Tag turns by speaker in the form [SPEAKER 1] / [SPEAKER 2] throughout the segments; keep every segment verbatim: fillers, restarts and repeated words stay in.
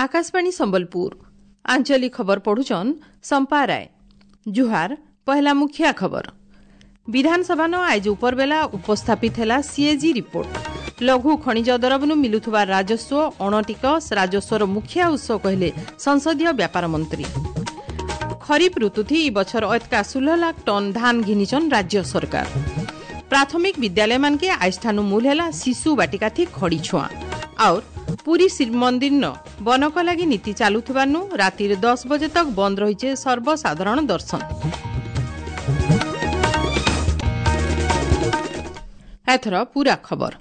[SPEAKER 1] ଆକାଶବାଣୀ ସମ୍ବଲପୁର ଆଞ୍ଚଳିକ ଖବର ପଢୁଛନ୍ ସମ୍ପା ରାୟ। ଜୁହାର। ପହଲା ମୁଖିଆ ଖବର। ବିଧାନସଭାନ ଆଇଜ ଉପରବେଲା ଉପସ୍ଥାପିତ ହେଲା ସିଏଜି ରିପୋର୍ଟ। ଲଘୁ ଖଣିଜ ଦରବନୁ ମିଲୁଥିବା ରାଜସ୍ୱ ଅଣଟିକସ ରାଜସ୍ୱର ମୁଖିଆ ଉତ୍ସ କହିଲେ ସଂସଦୀୟ ବ୍ୟାପାର ମନ୍ତ୍ରୀ। ଖରିଫ ଋତୁଥି ଇ ବଛର ଅତକା ଷୋହଳ ଲାଖ ଟନ୍ ଧାନ ଘିନିଛନ୍ ରାଜ୍ୟ ସରକାର। ପ୍ରାଥମିକ ବିଦ୍ୟାଳୟମାନକେ ଆଇଷ୍ଠାନୁ ମୂଲ ହେଲା ଶିଶୁ ବାଟିକାଥି ଖଡ଼ି ଛୁଆଁ। ଆଉ ପୁରୀ ଶ୍ରୀମନ୍ଦିରନ ବନକ ଲାଗି ନୀତି ଚାଲୁଥିବାନୁ ରାତିରେ ଦଶ ବଜେ ତକ ବନ୍ଦ ରହିଛେ ସର୍ବସାଧାରଣ ଦର୍ଶନ। ଏଥର ପୁରା ଖବର।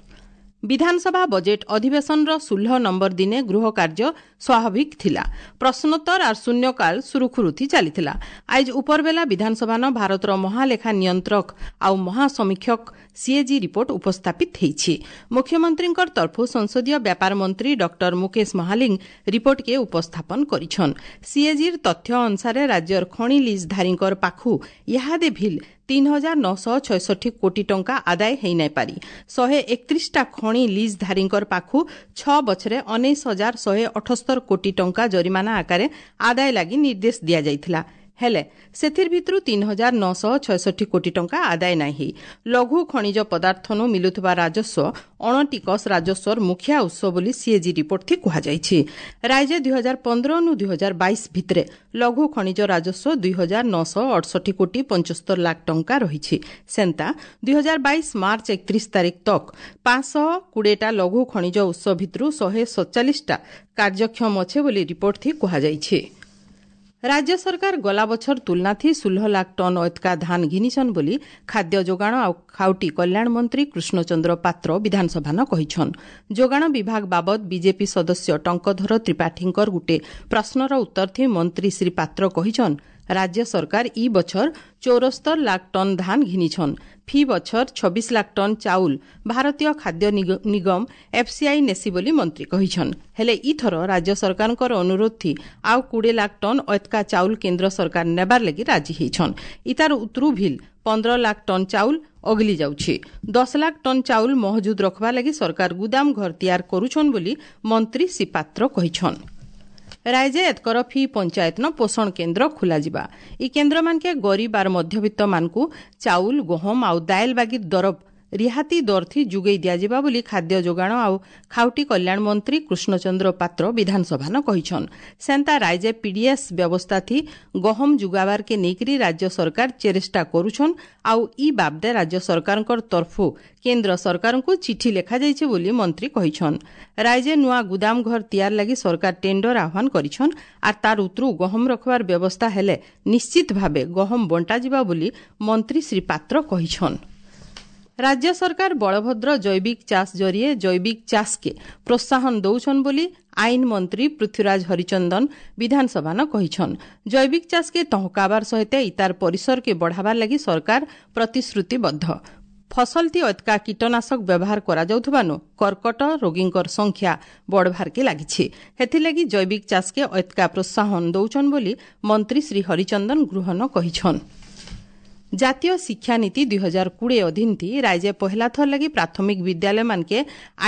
[SPEAKER 1] ବିଧାନସଭା ବଜେଟ୍ ଅଧିବେଶନର ଷୋହଳ ନମ୍ବର ଦିନେ ଗୃହ କାର୍ଯ୍ୟ ସ୍ୱାଭାବିକ ଥିଲା। ପ୍ରଶ୍ନୋତ୍ତର ଆର୍ ଶୂନ୍ୟକାଳ ସୁରୁଖୁରୁଥି ଚାଲିଥିଲା। ଆଇଜ ଉପରବେଲା ବିଧାନସଭାନ ଭାରତର ମହାଲେଖା ନିୟନ୍ତ୍ରକ ଆଉ ମହାସମୀକ୍ଷକ ସିଏଜି ରିପୋର୍ଟ ଉପସ୍ଥାପିତ ହେଇଛି। ମୁଖ୍ୟମନ୍ତ୍ରୀଙ୍କର ତରଫୁ ସଂସଦୀୟ ବ୍ୟାପାର ମନ୍ତ୍ରୀ ଡକ୍ଟର ମୁକେଶ ମହାଲିଙ୍ଗ ରିପୋର୍ଟକେ ଉପସ୍ଥାପନ କରିଛନ୍। ସିଏଜିର ତଥ୍ୟ ଅନୁସାରେ ରାଜ୍ୟର ଖଣି ଲିଜ୍ଧାରୀଙ୍କର ପାଖୁ ଇହାଦେ ଭିଲ୍ ତିନି ହଜାର ନଅଶହ ଛୟଷଠି କୋଟି ଟଙ୍କା ଆଦାୟ ହେଇନାଇପାରି। ଶହେ ଏକତିରିଶଟା ଖଣି ଲିଜ୍ଧାରୀଙ୍କର ପାଖୁ ଛଅ ବଛରେ ଉଣେଇଶ ହଜାର ଶହେ ଅଠସ୍ତର କୋଟି ଟଙ୍କା ଜରିମାନା ଆକାରରେ ଆଦାୟ ଲାଗି ନିର୍ଦ୍ଦେଶ ଦିଆଯାଇଥିଲା। ହେଲେ ସେଥିର ଭିତରୁ ତିନି ହଜାର ନଅଶହ ଛୟଷଠି କୋଟି ଟଙ୍କା ଆଦାୟ ନାଇଁ ହେଇ। ଲଘୁ ଖଣିଜ ପଦାର୍ଥନୁ ମିଲୁଥିବା ରାଜସ୍ୱ ଅଣଟିକସ ରାଜସ୍ୱର ମୁଖିଆ ଉତ୍ସ ବୋଲି ସିଏଜି ରିପୋର୍ଟ କୁହାଯାଇଛି। ରାଜ୍ୟ ଦୁଇ ହଜାର ପନ୍ଦରନୁ ଦୁଇ ହଜାର ବାଇଶ ଭିତରେ ଲଘୁ ଖଣିଜ ରାଜସ୍ୱ ଦୁଇ ହଜାର ନଅଶହ ଅଠଷଠି କୋଟି ପଞ୍ଚସ୍ତର ଲାଖ ଟଙ୍କା ରହିଛି। ସେନ୍ତା ଦୁଇ ହଜାର ବାଇଶ ମାର୍ଚ୍ଚ ଏକତିରିଶ ତାରିଖ ତକ ପାଞ୍ଚଶହ କୋଡ଼ିଏଟା ଲଘୁ ଖଣିଜ ଉତ୍ସ ଭିତରୁ ଶହେ ସତଚାଳିଶଟା କାର୍ଯ୍ୟକ୍ଷମ ଅଛେ ବୋଲି ରିପୋର୍ଟ କୁହାଯାଇଛି। ରାଜ୍ୟ ସରକାର ଗଲା ବଛର ତୁଲନାଥି ଷୋହଳ ଲାଖ ଟନ୍ ଅତକା ଧାନ ଘିନିଛନ୍ ବୋଲି ଖାଦ୍ୟ ଯୋଗାଣ ଆଉ ଖାଉଟି କଲ୍ୟାଣ ମନ୍ତ୍ରୀ କୃଷ୍ଣଚନ୍ଦ୍ର ପାତ୍ର ବିଧାନସଭାନ କହିଛନ୍। ଯୋଗାଣ ବିଭାଗ ବାବଦ ବିଜେପି ସଦସ୍ୟ ଟଙ୍କଧର ତ୍ରିପାଠୀଙ୍କର ଗୁଟେ ପ୍ରଶ୍ନର ଉତ୍ତର ଥି ମନ୍ତ୍ରୀ ଶ୍ରୀ ପାତ୍ର କହିଛନ୍, ରାଜ୍ୟ ସରକାର ଇ ବଛର ଚଉରସ୍ତର ଲାଖ ଟନ୍ ଧାନ ଘିନିଛନ୍। ଫି ବଛର ଛବିଶ ଲାଖ ଟନ୍ ଚାଉଲ ଭାରତୀୟ ଖାଦ୍ୟ ନିଗମ ଏଫ୍ସିଆଇ ନେସି ବୋଲି ମନ୍ତ୍ରୀ କହିଛନ୍। ହେଲେ ଇଥର ରାଜ୍ୟ ସରକାରଙ୍କର ଅନୁରୋଧ ଥି ଆଉ କୋଡ଼ିଏ ଲାଖ ଟନ୍ ଅତକା ଚାଉଲ କେନ୍ଦ୍ର ସରକାର ନେବାର ଲାଗି ରାଜି ହେଇଛନ୍। ଇତାର ଉତରୁ ଭିଲ୍ ପନ୍ଦର ଲାଖ ଟନ୍ ଚାଉଲ ଅଗଲି ଯାଉଛି। ଦଶ ଲାଖ ଟନ୍ ଚାଉଲ ମହଜୁଦ ରଖବା ଲାଗି ସରକାର ଗୁଦାମ ଘର ତିଆର କରୁଛନ୍ ବୋଲି ମନ୍ତ୍ରୀ ଶ୍ରୀ ପାତ୍ର କହିଛନ୍। ରାଇଜେ ଏତକର ଫି ପଞ୍ଚାୟତନ ପୋଷଣ କେନ୍ଦ୍ର ଖୋଲାଯିବା। ଇ କେନ୍ଦ୍ରମାନକେ ଗରିବ ଆର୍ ମଧ୍ୟବିତ୍ତମାନଙ୍କୁ ଚାଉଲ, ଗହମ ଆଉ ଦାଏଲ ବାଗି ଦରବ ରିହାତି ଦରଥି ଯୋଗାଇ ଦିଆଯିବା ବୋଲି ଖାଦ୍ୟ ଯୋଗାଣ ଆଉ ଖାଉଟି କଲ୍ୟାଣ ମନ୍ତ୍ରୀ କୃଷ୍ଣଚନ୍ଦ୍ର ପାତ୍ର ବିଧାନସଭାନ କହିଛନ୍। ସେନ୍ତା ରାଇଜେ ପିଡିଏସ୍ ବ୍ୟବସ୍ଥାଥି ଗହମ ଯୁଗାବାରକେ ନେଇକରି ରାଜ୍ୟ ସରକାର ଚେଷ୍ଟା କରୁଛନ୍ ଆଉ ଇ ବାବଦେ ରାଜ୍ୟ ସରକାରଙ୍କର ତରଫୁ କେନ୍ଦ୍ର ସରକାରଙ୍କୁ ଚିଠି ଲେଖାଯାଇଛି ବୋଲି ମନ୍ତ୍ରୀ କହିଛନ୍। ରାଇଜେ ନୂଆ ଗୁଦାମ ଘର ତିଆର ଲାଗି ସରକାର ଟେଣ୍ଡର ଆହ୍ୱାନ କରିଛନ୍ ଆର୍ ତାର ଉତରୁ ଗହମ ରଖବାର ବ୍ୟବସ୍ଥା ହେଲେ ନିଶ୍ଚିତ ଭାବେ ଗହମ ବଣ୍ଟାଯିବା ବୋଲି ମନ୍ତ୍ରୀ ଶ୍ରୀ ପାତ୍ର କହିଛନ୍। ରାଜ୍ୟ ସରକାର ବଳଭଦ୍ର ଜୈବିକ ଚାଷ ଜରିଏ ଜୈବିକ ଚାଷକେ ପ୍ରୋତ୍ସାହନ ଦଉଛନ୍ ବୋଲି ଆଇନ ମନ୍ତ୍ରୀ ପୃଥ୍ୱୀରାଜ ହରିଚନ୍ଦନ ବିଧାନସଭାନ କହିଛନ୍। ଜୈବିକ ଚାଷକେ ତହକାବାର ସହିତ ଇତାର ପରିସରକେ ବଢ଼ାବାର ଲାଗି ସରକାର ପ୍ରତିଶ୍ରୁତିବଦ୍ଧ। ଫସଲଥି ଅତକା କୀଟନାଶକ ବ୍ୟବହାର କରାଯାଉଥିବାନୁ କର୍କଟ ରୋଗୀଙ୍କର ସଂଖ୍ୟା ବଢ଼ବାରକେ ଲାଗିଛି। ହେଥିଲାଗି ଜୈବିକ ଚାଷକେ ଅତକା ପ୍ରୋତ୍ସାହନ ଦଉଛନ୍ ବୋଲି ମନ୍ତ୍ରୀ ଶ୍ରୀ ହରିଚନ୍ଦନ ଗୃହନ କହିଛନ୍। ଜାତୀୟ ଶିକ୍ଷାନୀତି ଦୁଇ ହଜାର କୋଡ଼ିଏ ଅଧୀନଥି ରାଜ୍ୟ ପହିଲା ଥର ଲାଗି ପ୍ରାଥମିକ ବିଦ୍ୟାଳୟମାନକେ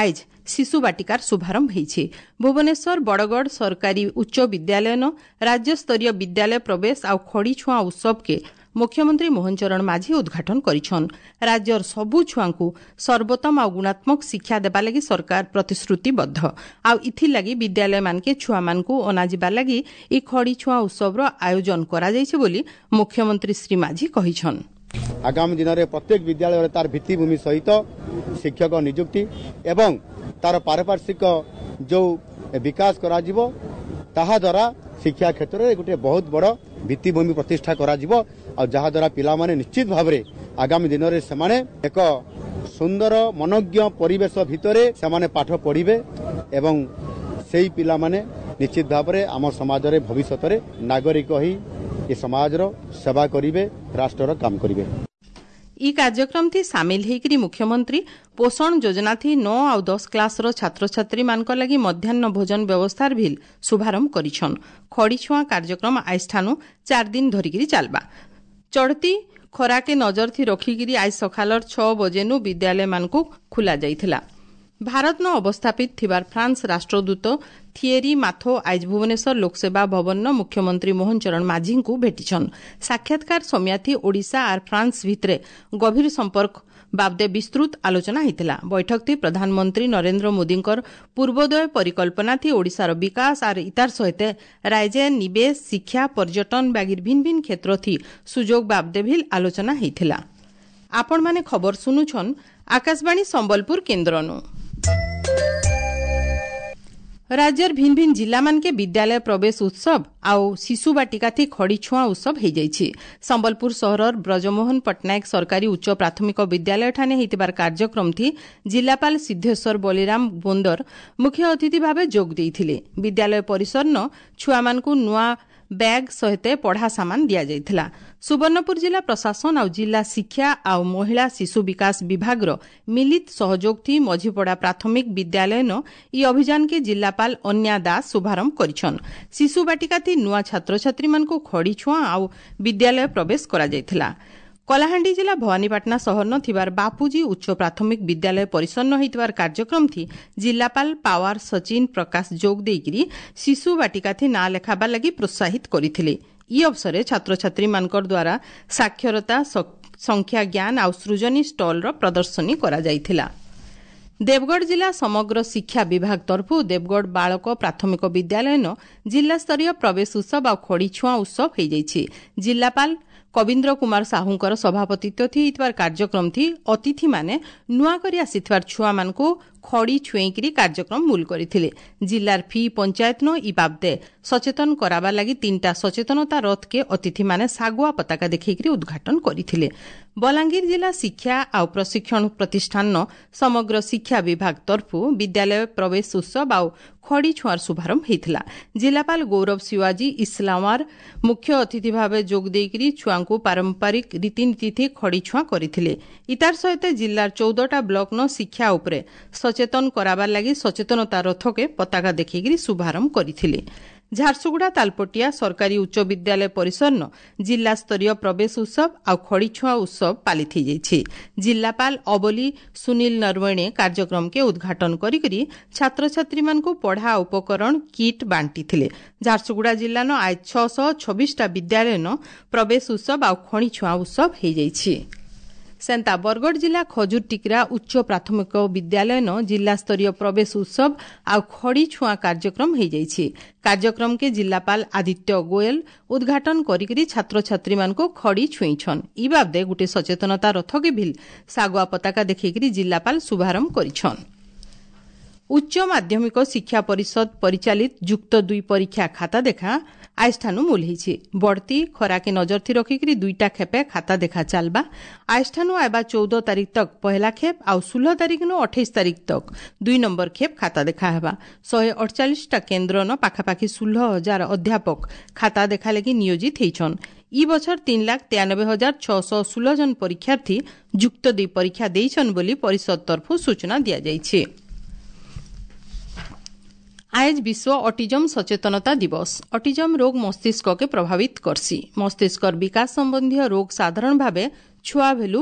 [SPEAKER 1] ଆଇଜ ଶିଶୁ ବାଟିକାର ଶୁଭାରମ୍ଭ ହେଇଛି। ଭୁବନେଶ୍ୱର ବଡ଼ଗଡ଼ ସରକାରୀ ଉଚ୍ଚ ବିଦ୍ୟାଳୟନ ରାଜ୍ୟସ୍ତରୀୟ ବିଦ୍ୟାଳୟ ପ୍ରବେଶ ଆଉ ଖଡ଼ି ଛୁଆଁ ଉତ୍ସବକେ ମୁଖ୍ୟମନ୍ତ୍ରୀ ମୋହନ ଚରଣ ମାଝୀ ଉଦ୍ଘାଟନ କରିଛନ୍। ରାଜ୍ୟର ସବୁ ଛୁଆଙ୍କୁ ସର୍ବୋତ୍ତମ ଆଉ ଗୁଣାତ୍ମକ ଶିକ୍ଷା ଦେବା ଲାଗି ସରକାର ପ୍ରତିଶ୍ରୁତିବଦ୍ଧ ଆଉ ଇଥିଲାଗି ବିଦ୍ୟାଳୟମାନକେ ଛୁଆମାନଙ୍କୁ ଅଣାଯିବା ଲାଗି ଇ ଖଡ଼ି ଛୁଆଁ ଉତ୍ସବର ଆୟୋଜନ କରାଯାଇଛି ବୋଲି ମୁଖ୍ୟମନ୍ତ୍ରୀ ଶ୍ରୀ ମାଝୀ କହିଛନ୍।
[SPEAKER 2] ଆଗାମୀ ଦିନରେ ପ୍ରତ୍ୟେକ ବିଦ୍ୟାଳୟରେ ତାର ଭିତ୍ତିଭୂମି ସହିତ ଶିକ୍ଷକ ନିଯୁକ୍ତି ଏବଂ ତାର ପାରପାର୍ଶ୍ୱିକ ଯେଉଁ ବିକାଶ କରାଯିବ ତାହା ଦ୍ୱାରା ଶିକ୍ଷା କ୍ଷେତ୍ରରେ ଗୋଟିଏ ବହୁତ ବଡ଼ ଭିତ୍ତିଭୂମି ପ୍ରତିଷ୍ଠା କରାଯିବ ଆଉ ଯାହାଦ୍ୱାରା ପିଲାମାନେ ନିଶ୍ଚିତ ଭାବରେ ଆଗାମୀ ଦିନରେ ସେମାନେ ଏକ ସୁନ୍ଦର ମନୋଜ୍ଞ ପରିବେଶ ଭିତରେ ସେମାନେ ପାଠ ପଢ଼ିବେ ଏବଂ ସେଇ ପିଲାମାନେ ନିଶ୍ଚିତ ଭାବରେ ଆମ ସମାଜରେ ଭବିଷ୍ୟତରେ ନାଗରିକ ହୋଇ ଏ ସମାଜର ସେବା କରିବେ, ରାଷ୍ଟ୍ରର କାମ କରିବେ।
[SPEAKER 1] ଇ କାର୍ଯ୍ୟକ୍ରମ ଥି ସାମିଲ ହେଇକରି ମୁଖ୍ୟମନ୍ତ୍ରୀ ପୋଷଣ ଯୋଜନା ଥି ନଅ ଆଉ ଦଶ କ୍ଲାସର ଛାତ୍ରଛାତ୍ରୀମାନଙ୍କ ଲାଗି ମଧ୍ୟାହ୍ନ ଭୋଜନ ବ୍ୟବସ୍ଥାର ଭିଲ୍ ଶୁଭାରମ୍ଭ କରିଛନ୍। ଖଡ଼ିଛୁଆଁ କାର୍ଯ୍ୟକ୍ରମ ଆଇଷ୍ଠାନୁ ଚାରି ଦିନ ଧରିକିରି ଚାଲବା। ଚଢ଼ତି ଖରାକେ ନଜର ଥି ରଖିକିରି ଆଜ ସକାଳର ଛଅ ବଜେନୁ ବିଦ୍ୟାଳୟମାନଙ୍କୁ ଖୋଲା ଯାଇଥିଲା। ଭାରତନ ଅବସ୍ଥାପିତ ଥିବାର ଫ୍ରାନ୍ସ ରାଷ୍ଟ୍ରଦୂତ ଥିଏରି ମାଥୋ ଆଇଜ ଭୁବନେଶ୍ୱର ଲୋକସେବା ଭବନର ମୁଖ୍ୟମନ୍ତ୍ରୀ ମୋହନ ଚରଣ ମାଝୀଙ୍କୁ ଭେଟିଛନ୍। ସାକ୍ଷାତକାର ସମିୟାଥି ଓଡ଼ିଶା ଆର୍ ଫ୍ରାନ୍ସ ଭିତରେ ଗଭୀର ସମ୍ପର୍କ ବାବଦେ ବିସ୍ତୃତ ଆଲୋଚନା ହେଇଥିଲା। ବୈଠକଥି ପ୍ରଧାନମନ୍ତ୍ରୀ ନରେନ୍ଦ୍ର ମୋଦୀଙ୍କର ପୂର୍ବୋଦୟ ପରିକଳ୍ପନା ଥି ଓଡ଼ିଶାର ବିକାଶ ଆର୍ ଇତାର ସହିତ ରାଜ୍ୟ ନିବେଶ, ଶିକ୍ଷା, ପର୍ଯ୍ୟଟନ ବାଗିର ଭିନ୍ନ ଭିନ୍ନ କ୍ଷେତ୍ର ଥି ସୁଯୋଗ ବାବଦେ ଭିଲ୍ ଆଲୋଚନା ହେଇଥିଲା। ଆପଣମାନେ ଖବର ଶୁଣୁଛନ୍ ଆକାଶବାଣୀ ସମ୍ବଲପୁର କେନ୍ଦ୍ରନୁ। ରାଜ୍ୟର ଭିନ୍ନ ଭିନ୍ନ ଜିଲ୍ଲାମାନକେ ବିଦ୍ୟାଳୟ ପ୍ରବେଶ ଉତ୍ସବ ଆଉ ଶିଶୁ ବାଟିକାଥି ଖଡ଼ି ଛୁଆଁ ଉତ୍ସବ ହେଇଯାଇଛି। ସମ୍ବଲପୁର ସହରର ବ୍ରଜମୋହନ ପଟ୍ଟନାୟକ ସରକାରୀ ଉଚ୍ଚ ପ୍ରାଥମିକ ବିଦ୍ୟାଳୟଠାନେ ହେଇଥିବାର କାର୍ଯ୍ୟକ୍ରମଥି ଜିଲ୍ଲାପାଳ ସିଦ୍ଧେଶ୍ୱର ବଳିରାମ ବୋନ୍ଦର ମୁଖ୍ୟ ଅତିଥି ଭାବେ ଯୋଗ ଦେଇଥିଲେ। ବିଦ୍ୟାଳୟ ପରିସରନ ଛୁଆମାନଙ୍କୁ ନୂଆ ବ୍ୟାଗ୍ ସହିତ ପଢ଼ା ସାମାନ ଦିଆଯାଇଥିଲା। ସୁବର୍ଣ୍ଣପୁର ଜିଲ୍ଲା ପ୍ରଶାସନ ଆଉ ଜିଲ୍ଲା ଶିକ୍ଷା ଆଉ ମହିଳା ଶିଶୁ ବିକାଶ ବିଭାଗର ମିଳିତ ସହଯୋଗ ଥି ମଝିପଡ଼ା ପ୍ରାଥମିକ ବିଦ୍ୟାଳୟନ ଇ ଅଭିଯାନକେ ଜିଲ୍ଲାପାଳ ଅନ୍ୟା ଦାସ ଶୁଭାରମ୍ଭ କରିଛନ୍। ଶିଶୁ ବାଟିକା ଥି ନୂଆ ଛାତ୍ରଛାତ୍ରୀମାନଙ୍କୁ ଖଡ଼ି ଛୁଆଁ ଆଉ ବିଦ୍ୟାଳୟ ପ୍ରବେଶ କରାଯାଇଥିଲା। କଳାହାଣ୍ଡି ଜିଲ୍ଲା ଭବାନୀପାଟଣା ସହରନ ଥିବାର ବାପୁଜୀ ଉଚ୍ଚ ପ୍ରାଥମିକ ବିଦ୍ୟାଳୟ ପରିସରନ ହେଇଥିବାର କାର୍ଯ୍ୟକ୍ରମ ଥି ଜିଲ୍ଲାପାଳ ପାୱାର ସଚିନ ପ୍ରକାଶ ଯୋଗ ଦେଇକିରି ଶିଶୁ ବାଟିକାଥି ନାଁ ଲେଖାବାର ଲାଗି ପ୍ରୋତ୍ସାହିତ କରିଥିଲେ। ଇ ଅବସରେ ଛାତ୍ରଛାତ୍ରୀମାନଙ୍କର ଦ୍ୱାରା ସାକ୍ଷରତା, ସଂଖ୍ୟା ଜ୍ଞାନ ଆଉ ସୃଜନୀ ଷ୍ଟଲର ପ୍ରଦର୍ଶନୀ କରାଯାଇଥିଲା। ଦେବଗଡ଼ ଜିଲ୍ଲା ସମଗ୍ର ଶିକ୍ଷା ବିଭାଗ ତରଫରୁ ଦେବଗଡ଼ ବାଳକ ପ୍ରାଥମିକ ବିଦ୍ୟାଳୟନ ଜିଲ୍ଲାସ୍ତରୀୟ ପ୍ରବେଶ ଉତ୍ସବ ଆଉ ଖଡ଼ି ଛୁଆଁ ଉତ୍ସବ ହେଇଯାଇଛି। ଜିଲ୍ଲାପାଳ କବୀନ୍ଦ୍ର କୁମାର ସାହୁଙ୍କର ସଭାପତିତ୍ୱ ଥି ହେଇଥିବାର କାର୍ଯ୍ୟକ୍ରମ ଥି ଅତିଥିମାନେ ନୂଆ କରି ଆସିଥିବାର ଛୁଆମାନଙ୍କୁ ଖଡ଼ି ଛୁଏଁଇକିରି କାର୍ଯ୍ୟକ୍ରମ ମୂଲ କରିଥିଲେ। ଜିଲ୍ଲାର ଫି ପଞ୍ଚାୟତନ ଇ ବାବଦେ ସଚେତନ କରାବା ଲାଗି ତିନିଟା ସଚେତନତା ରଥକେ ଅତିଥିମାନେ ଶାଗୁଆ ପତାକା ଦେଖେଇକିରି ଉଦ୍ଘାଟନ କରିଥିଲେ। ବଲାଙ୍ଗୀର ଜିଲ୍ଲା ଶିକ୍ଷା ଆଉ ପ୍ରଶିକ୍ଷଣ ପ୍ରତିଷ୍ଠାନର ସମଗ୍ର ଶିକ୍ଷା ବିଭାଗ ତରଫରୁ ବିଦ୍ୟାଳୟ ପ୍ରବେଶ ଉତ୍ସବ ଆଉ ଖଡ଼ି ଛୁଆଁର ଶୁଭାରମ୍ଭ ହେଇଥିଲା। ଜିଲ୍ଲାପାଳ ଗୌରବ ଶିୱାଜୀ ଇସଲାମାର ମୁଖ୍ୟ ଅତିଥି ଭାବେ ଯୋଗ ଦେଇକିରି ଛୁଆଙ୍କୁ ପାରମ୍ପରିକ ରୀତିନୀତି ଖଡ଼ି ଛୁଆଁ କରିଥିଲେ। ଇତାର ସହିତ ଜିଲ୍ଲାର ଚଉଦଟା ବ୍ଲକନ ଶିକ୍ଷା ଉପରେ ସଚେତନ କରାବାର ଲାଗି ସଚେତନତା ରଥକେ ପତାକା ଦେଖେଇକିରି ଶୁଭାରମ୍ଭ କରିଥିଲେ। ଝାରସୁଗୁଡ଼ା ତାଲପଟିଆ ସରକାରୀ ଉଚ୍ଚ ବିଦ୍ୟାଳୟ ପରିସରନ ଜିଲ୍ଲାସ୍ତରୀୟ ପ୍ରବେଶ ଉତ୍ସବ ଆଉ ଖଡ଼ିଛୁଆଁ ଉତ୍ସବ ପାଳିତ ହେଇଯାଇଛି। ଜିଲ୍ଲାପାଳ ଅବଲି ସୁନୀଲ ନରୱଣେ କାର୍ଯ୍ୟକ୍ରମକେ ଉଦ୍ଘାଟନ କରିକରି ଛାତ୍ରଛାତ୍ରୀମାନଙ୍କୁ ପଢ଼ା ଉପକରଣ କିଟ୍ ବାଣ୍ଟିଥିଲେ। ଝାରସୁଗୁଡ଼ା ଜିଲ୍ଲାନ ଆଜ ଛଅଶହ ଛବିଶଟା ବିଦ୍ୟାଳୟନ ପ୍ରବେଶ ଉତ୍ସବ ଆଉ ଖଣିଛୁଆଁ ଉତ୍ସବ ହେଇଯାଇଛି। ସେନ୍ତା ବରଗଡ଼ ଜିଲ୍ଲା ଖଜୁର ଟିକରା ଉଚ୍ଚ ପ୍ରାଥମିକ ବିଦ୍ୟାଳୟନ ଜିଲ୍ଲାସ୍ତରୀୟ ପ୍ରବେଶ ଉତ୍ସବ ଆଉ ଖଡ଼ି ଛୁଆଁ କାର୍ଯ୍ୟକ୍ରମ ହେଇଯାଇଛି। କାର୍ଯ୍ୟକ୍ରମକେ ଜିଲ୍ଲାପାଳ ଆଦିତ୍ୟ ଗୋୟଲ ଉଦ୍ଘାଟନ କରିକିରି ଛାତ୍ରଛାତ୍ରୀମାନଙ୍କୁ ଖଡ଼ି ଛୁଇଁଛନ୍। ଇ ବାବଦେ ଗୋଟେ ସଚେତନତା ରଥକେ ଭିଲ୍ ଶାଗୁଆ ପତାକା ଦେଖେଇକିରି ଜିଲ୍ଲାପାଳ ଶୁଭାରମ୍ଭ କରିଛନ୍। ଉଚ୍ଚ ମାଧ୍ୟମିକ ଶିକ୍ଷା ପରିଷଦ ପରିଚାଳିତ ଯୁକ୍ତ ଦୁଇ ପରୀକ୍ଷା ଖାତା ଦେଖା ଆଇଷ୍ଠାନୁ ମୂଲ ହେଇଛି। ବଢ଼ତି ଖରାକେ ନଜର ଥି ରଖିକିରି ଦୁଇଟା ଖେପେ ଖାତା ଦେଖା ଚାଲବା। ଆଇଷ୍ଠାନୁ ଆଇବା ଚଉଦ ତାରିଖ ତକ ପହଲା ଖେପ ଆଉ ଷୋହଳ ତାରିଖ ନୁ ଅଠେଇଶ ତାରିଖ ତକ ଦୁଇ ନମ୍ବର ଖେପ ଖାତା ଦେଖା ହେବା। ଶହେ ଅଠଚାଳିଶଟା କେନ୍ଦ୍ରନ ପାଖାପାଖି ଷୋହଳ ହଜାର ଅଧ୍ୟାପକ ଖାତା ଦେଖା ଲାଗି ନିୟୋଜିତ ହେଇଛନ୍। ଇ ବଛର ତିନି ଲାଖ ତେୟାନବେ ହଜାର ଛଅଶହ ଷୋହଳ ଜଣ ପରୀକ୍ଷାର୍ଥୀ ଯୁକ୍ତ ଦୁଇ ପରୀକ୍ଷା ଦେଇଛନ୍ ବୋଲି ପରିଷଦ ତରଫରୁ ସୂଚନା ଦିଆଯାଇଛି। ଆଏଜ ବିଶ୍ୱ ଅଟିଜମ ସଚେତନତା ଦିବସ। ଅଟିଜମ ରୋଗ ମସ୍ତିଷ୍କକେ ପ୍ରଭାବିତ କରସି। ମସ୍ତିଷ୍କର ବିକାଶ ସମ୍ବନ୍ଧୀୟ ରୋଗ ସାଧାରଣ ଭାବେ ଛୁଆ ଭେଲୁ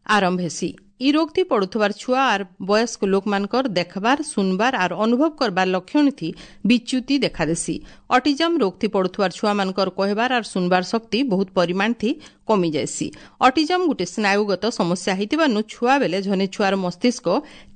[SPEAKER 1] ଆରମ୍ଭ ହେସି। ଇ ରୋଗଥି ପଡୁଥିବାର ଛୁଆ ଆର୍ ବୟସ୍କ ଲୋକମାନଙ୍କର ଦେଖବାର, ଶୁନବାର ଆର୍ ଅନୁଭବ କରବାର ଲକ୍ଷଣ ଥି ବିଚ୍ୟୁତି ଦେଖାଦେସି। ଅଟିଜମ ରୋଗଥି ପଡୁଥିବାର ଛୁଆମାନଙ୍କର କହିବାର ଆର୍ ଶୁନବାର ଶକ୍ତି ବହୁତ ପରିମାଣ ଥି କମି ଯାଏସି। ଅଟିଜମ ଗୋଟେ ସ୍ନାୟୁଗତ ସମସ୍ୟା ହେଇଥିବାରୁ ଛୁଆ ବେଲେ ଝନେ ଛୁଆର ମସ୍ତିଷ୍କ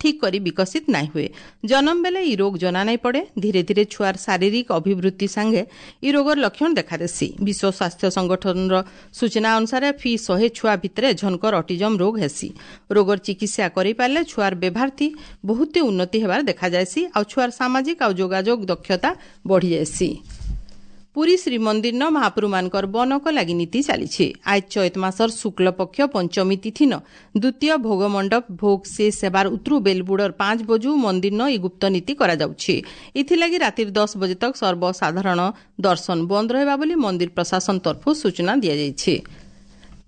[SPEAKER 1] ଠିକ୍ କରି ବିକଶିତ ନାଇଁ ହୁଏ। ଜନ୍ମ ବେଲେ ଇ ରୋଗ ଜଣା ନାଇଁ ପଡେ। ଧୀରେ ଧୀରେ ଛୁଆର ଶାରୀରିକ ଅଭିବୃଦ୍ଧି ସାଙ୍ଗେ ଇ ରୋଗର ଲକ୍ଷଣ ଦେଖାଦେସି। ବିଶ୍ୱ ସ୍ୱାସ୍ଥ୍ୟ ସଂଗଠନର ସୂଚନା ଅନୁସାରେ ଫି ଶହେ ଛୁଆ ଭିତରେ ଝନକର ଅଟିଜମ ରୋଗ ହେସି। ରୋଗର ଚିକିତ୍ସା କରିପାରିଲେ ଛୁଆର ବ୍ୟବହାର ଥି ବହୁତ ଉନ୍ନତି ହେବାର ଦେଖାଯାଏସି ଆଉ ଛୁଆର ସାମାଜିକ ଆଉ ଯୋଗାଯୋଗ ଦକ୍ଷତା ବଢ଼ିଯାଏସି। ପୁରୀ ଶ୍ରୀମନ୍ଦିରନ ମହାପ୍ରଭୁମାନଙ୍କର ବନକ ଲାଗି ନୀତି ଚାଲିଛି। ଆଜ ଚୈତ ମାସର ଶୁକ୍ଳ ପକ୍ଷ ପଞ୍ଚମୀ ତିଥିନ ଦ୍ୱିତୀୟ ଭୋଗ ମଣ୍ଡପ ଭୋଗ ଶେଷ ହେବାର ଉତରୁ ବେଲବୁଡ଼ର ପାଞ୍ଚ ବଜୁ ମନ୍ଦିରନ ଇ ଗୁପ୍ତ ନୀତି କରାଯାଉଛି। ଏଥିଲାଗି ରାତିର ଦଶ ବଜେ ତକ ସର୍ବସାଧାରଣ ଦର୍ଶନ ବନ୍ଦ ରହିବା ବୋଲି ମନ୍ଦିର ପ୍ରଶାସନ ତରଫରୁ ସୂଚନା ଦିଆଯାଇଛି।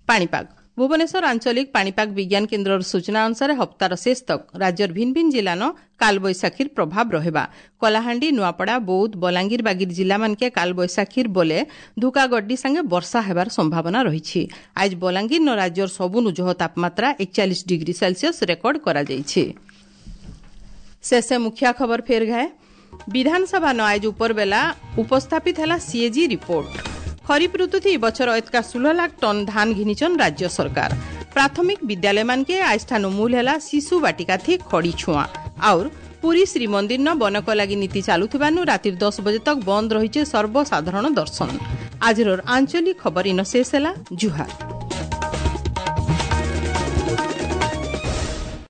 [SPEAKER 1] ପାଣିପାଗ ଭୁବନେଶ୍ୱର ଆଞ୍ଚଳିକ ପାଣିପାଗ ବିଜ୍ଞାନ କେନ୍ଦ୍ରର ସୂଚନା ଅନୁସାରେ ହପ୍ତାର ଶେଷ ତକ ରାଜ୍ୟର ଭିନ୍ନ ଭିନ୍ନ ଜିଲ୍ଲାନ କାଲବୈଶାଖୀର ପ୍ରଭାବ ରହିବା। କଳାହାଣ୍ଡି, ନୂଆପଡ଼ା, ବୌଦ୍ଧ, ବଲାଙ୍ଗୀର ବାଗିର ଜିଲ୍ଲାମାନକେ କାଲବୈଶାଖୀର ବଲେ ଧୁକାଗଡ୍ଡି ସାଙ୍ଗେ ବର୍ଷା ହେବାର ସମ୍ଭାବନା ରହିଛି। ଆজ ବଲାଙ୍ଗୀର ରାଜ୍ୟର ସବୁନୁ ଜହ ତାପମାତ୍ରା ଏକଚାଳିଶ ଡିଗ୍ରୀ ସେଲସିୟସ ରେକର୍ଡ କରାଯାଇଛି। ଶେଷେ ମୁଖିଆ ଖବର ଫେର ଘାଏ। ବିଧାନସଭା ନ ଆଇଜ ଉପର ବେଲା ଉପସ୍ଥାପିତ ହେଲା ସିଏଜି ରିପୋର୍ଟ। ଖରିଫ ଋତୁଥି ବଛର ଏତକା ଷୋହଳ ଲାଖ ଟନ୍ ଧାନ ଘିନିଛନ୍ ରାଜ୍ୟ ସରକାର। ପ୍ରାଥମିକ ବିଦ୍ୟାଳୟ ମାନକେ ଆଜଠାନୁ ମୂଲ ହେଲା ଶିଶୁ ବାଟିକା ଥି ଖଡ଼ି ଛୁଆଁ। ଆଉର ପୁରୀ ଶ୍ରୀମନ୍ଦିର ନ ବନକ ଲାଗି ନୀତି ଚାଲୁଥିବାନୁ ରାତିର ଦଶ ବଜେ ତକ ବନ୍ଦ ରହିছে ସର୍ବସାଧାରଣ ଦର୍ଶନ। ଆଜିର ଆଞ୍ଚଳିକ ଖବର ଇନ ଶେଷ ହେଲା। ଜୁହାର।